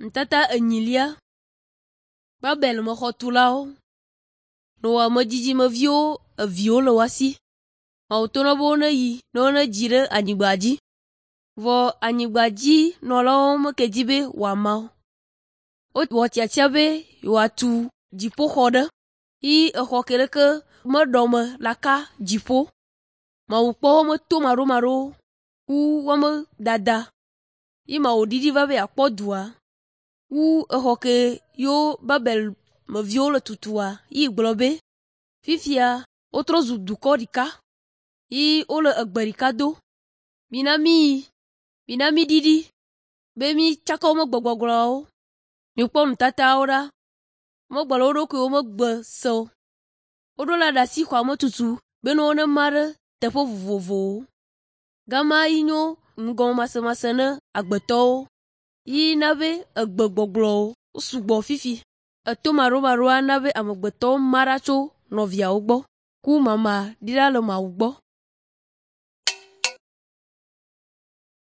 Nutata enyilia. Babel mexɔtulawo. Noa me dzidzimeviwo eviwo le woa si. Mawu to na be woneyi ne wonedzi ɖe anyigba dzi. Vɔ anyigbadzinɔlawo meke dzi be wòama o. Wowɔ tiatia be yewoatu dziƒoxɔ ɖe yi exɔ ke ɖeke meɖɔme la ka dziƒo. Mawu kpɔ woƒe tomaɖomaɖowo ku woƒe dada yi Mawu ɖiɖi va be yeakpɔ dua wu exɔ ke yewo Babel meviwo le tutua yi gblɔ be, “Fifia wotrɔ zu dukɔ ɖeka yi wole egbe ɖeka do. Mina míyi, mina míɖiɖi be mítsaka woƒe gbegbɔgblɔawo. Mikpɔ nutatawo ɖa. Womegblɔ wo ɖokuiwo ƒe gbe se o. Woɖo la ɖe asi xɔa me tutu be ne wonema ɖe teƒe vovovowo. Gama yi nyo nugɔmemasemase ne agbetɔwo yi na be egbegbɔgblɔwo sugbɔ fifi. Etomaɖomaɖoa na be amegbetɔwo ma ɖa tso nɔviawo gbɔ ku mama ɖi ɖa le Mawu gbɔ.